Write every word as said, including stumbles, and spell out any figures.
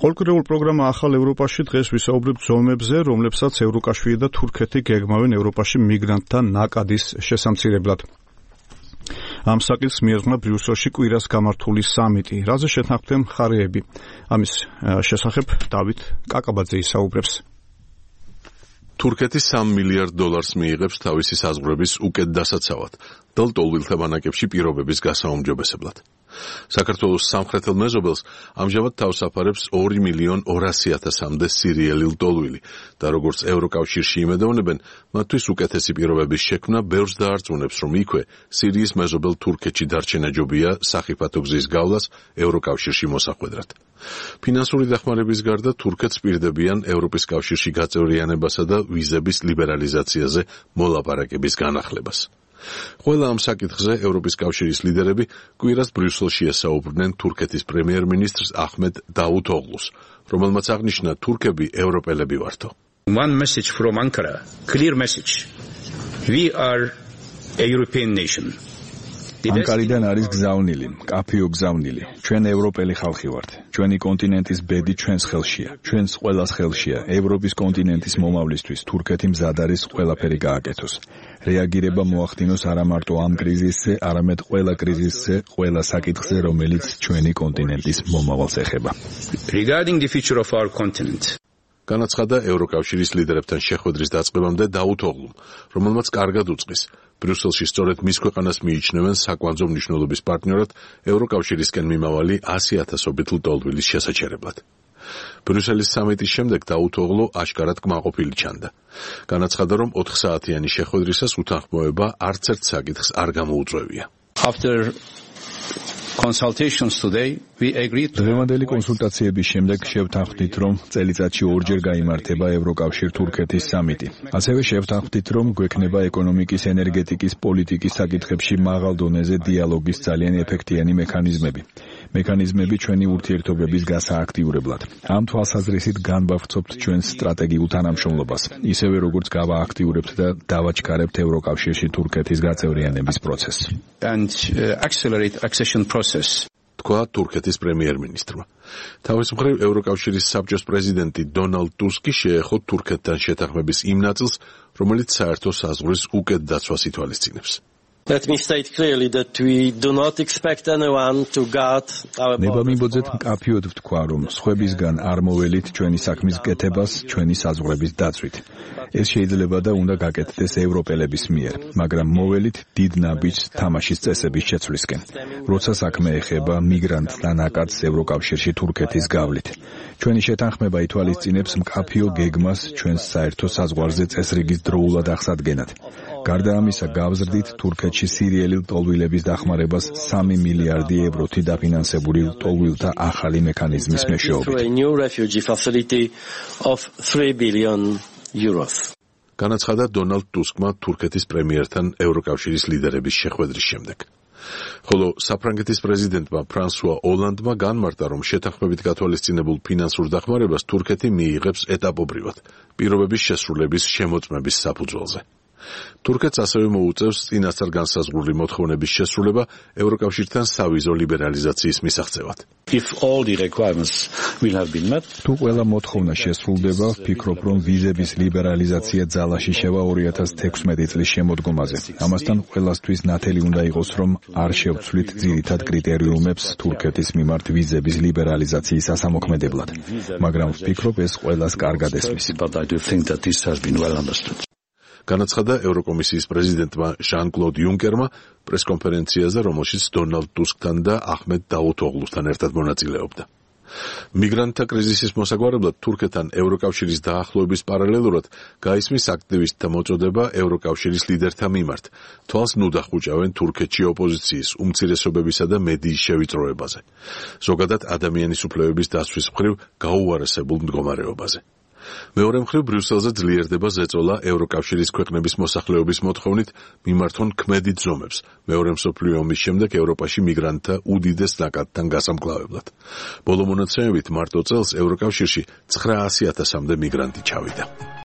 Ყოველკვირეულ პროგრამა ახალ ევროპაში დღეს ვისაუბრებთ ზომებზე, რომლებსაც ევროკავშირი და თურქეთი გეგმავენ ევროპაში მიგრანტთა ნაკადის შესამცირებლად. Ამ საკითხს მიეძღვნა ბრიუსელში კვირას გამართული სამიტი, რაზე შეთანხმდნენ მხარეები. ამის შესახებ დავით კაკაბაძე ისაუბრებს. თურქეთი სამ მილიარდ დოლარს მიიღებს თავისი საზღვრების უკეთ დასაცავად და ლტოლვილთა ბანაკებში პირობების გასაუმჯობესებლად. საქართველოს სამხრეთელ მეზობელს ამჟამად თავს აფარებს ორი მილიონი ორასი ათასამდე სირიელი ლტოლვილი და როგორც ევროკავშირში იმედოვნებენ, მათთვის უკეთესი პირობების შექმნა ბევრს დაარწმუნებს, რომ იქვე სირიის მეზობელ თურქეთში დარჩენა ჯობია სახიფათო გზის გავლას ევროკავშირში მოსახვედრად. ფინანსური დახმარების გარდა თურქეთს პირდებიან ევროპის კავშირში გაწევრიანებასა და ვიზების ლიბერალიზაციაზე მოლაპარაკების განახლებას. Ყველა ამ საკითხზე ევროპის კავშირის ლიდერები კვირას ბრიუსელში ესაუბრნენ თურქეთის პრემიერ-მინისტრს აჰმედ დაუთოღლუს, რომელმაც აღნიშნა თურქები ევროპელები ვართო. One message from Ankara, clear message. We are a European nation. ანკარიდან არის გზავნილი, კაფეო გზავნილი. ჩვენ ევროპელი ხალხი ვართ. ჩვენი კონტინენტის ბედი ჩვენს ხელშია. ჩვენს ყველას ხელშია. ევროპის კონტინენტის მომავლისთვის თურქეთი მზად არის ყველაფერი გააკეთოს. რეაგირება მოახდინოს არა მარტო ამ კრიზისზე, არამედ ყველა კრიზისზე, ყველა საკითხზე, რომელიც ჩვენი კონტინენტის მომავალს ეხება. Regarding the future of our continent. განაცხადა ევროკავშირის ლიდერებთან შეხვედრის დაწყებამდე დაუთოღლუმ, რომელმაც კარგად უწყის. ბრიუსელში სწორედ მის ქვეყანას მიიჩნევენ საკვანძო მნიშვნელობის პარტნიორად ევროკავშირისკენ მიმავალი ასი ათასობით ლტოლვილის შესაჩერებლად. ბრიუსელის სამიტის შემდეგ დაუთოღლუ აშკარად კმაყოფილი ჩანდა. განაცხადა, რომ ოთხ საათიანი შეხვედრისას უთანხმოება არც ერთ საკითხს არ გამოუწვევია. After consultations today, we agreed. დღევანდელი კონსულტაციების შემდეგ შევთანხმდით, რომ წელიწადში ორჯერ გაიმართება ევროკავშირ-თურქეთის სამიტი. ასევე შევთანხმდით, რომ გვექნება ეკონომიკის, ენერგეტიკის, პოლიტიკის საკითხებში მაღალ დონეზე დიალოგის ძალიან ეფექტიანი მექანიზმები. მექანიზმები ჩვენი ურთიერთობების გასააქტიურებლად. ამ თვალსაზრისით განვავრცობთ ჩვენს სტრატეგიულ თანამშრომლობას, ისევე როგორც გავააქტიურებთ და დავაჩქარებთ ევროკავშირში თურქეთის გაწევრიანების პროცესს. And uh, accelerate accession process. თქვა თურქეთის პრემიერ-მინისტრმა. თავის მხრივ ევროკავშირის საბჭოს პრეზიდენტი დონალდ ტუსკი შეეხო თურქეთთან შეთანხმების იმ ნაწილს, რომელიც საერთო საზღვრის უკეთ დაცვას ითვალისწინებს. Let me state clearly that we do not expect anyone to guard our borders. ნებამიბოძეთ მკაფიოდ ვთქვა, რომ სხვებისგან არ მოველით ჩვენი საქმის კეთებას, ჩვენი საზღვრების დაცვით. ეს შეიძლება და უნდა გაკეთდეს ევროპელების მიერ, მაგრამ მოველით დიდ ნაბიჯს თამაშის წესების შეცვლისკენ. როცა საქმე ეხება მიგრანტს და ნაკადს ევროკავშირში თურქეთის გავლით. ჩვენი შეთანხმება ითვალისწინებს მკაფიო გეგმას ჩვენს საერთო საზღვარზე წესრიგის დროულად აღსადგენად. გარდა ამისა, გავზრდით თურქეთში სირიელი ლტოლვილების დახმარებას სამი მილიარდი ევროთი დაფინანსებული ლტოლვილთა ახალი მექანიზმის მეშვეობით. განაცხადა დონალდ ტუსკმა თურქეთის პრემიერთან ევროკავშირის ლიდერების შეხვედრის შემდეგ. ხოლო საფრანგეთის პრეზიდენტმა ფრანსუა ოლანდმა განმარტა, რომ შეთანხმებით გათვალისწინებულ ფინანსურ დახმარებას თურქეთი მიიღებს ეტაპობრივად, პირობების შესრულების შემოწმების საფუძველზე. თურქეთს ასევე მოუწევს წინასწარ განსაზღვრული მოთხოვნების შესრულება ევროკავშირთან სავიზო ლიბერალიზაციის მისაღწევად. If all the requirements will have been met, თუ ყველა მოთხოვნა შესრულდება, ვფიქრობ, რომ ვიზების ლიბერალიზაცია ძალაში შევა ორი ათას თექვსმეტი წლის შემოდგომაზე. ამასთან ყველასთვის ნათელი უნდა იყოს, რომ არ შევცვლით ძირითად კრიტერიუმებს თურქეთის მიმართ ვიზების ლიბერალიზაციის ასამოქმედებლად. მაგრამ ვფიქრობ, ეს ყველას კარგად ესმის. but I do think that this has been well understood. განაცხადა ევროკომისიის პრეზიდენტმა ჟან-კლოდ იუნკერმა პრესკონფერენციაზე, რომელშიც დონალდ ტუსკთან და აჰმედ დაუთოღლუსთან ერთად მონაწილეობდა. მიგრანტთა კრიზისის მოსაგვარებლად თურქეთთან ევროკავშირის დაახლოების პარალელურად გაისმის აქტივისტთა მოწოდება ევროკავშირის ლიდერთა მიმართ. თვალს ნუ დახუჭავენ თურქეთში ოპოზიციის, უმცირესობებისა და მედიის შევიწროებაზე. ზოგადად ადამიანის უფლებების დაცვის მხრივ გაუარესებულ მდგომარეობაზე. მეორე მხრივ ბრიუსელზე ძლიერდება ზეწოლა ევროკავშირის ქვეყნების მოსახლეობის მოთხოვნით მიმართონ ქმედით ზომებს მეორე მსოფლიო ომის შემდეგ ევროპაში მიგრანტთა უდიდეს ნაკადთან გასამკლავებლად. ბოლო მონაცემებით მარტო წელს ევროკავშირში ცხრაასი ათასამდე მიგრანტი ჩავიდა.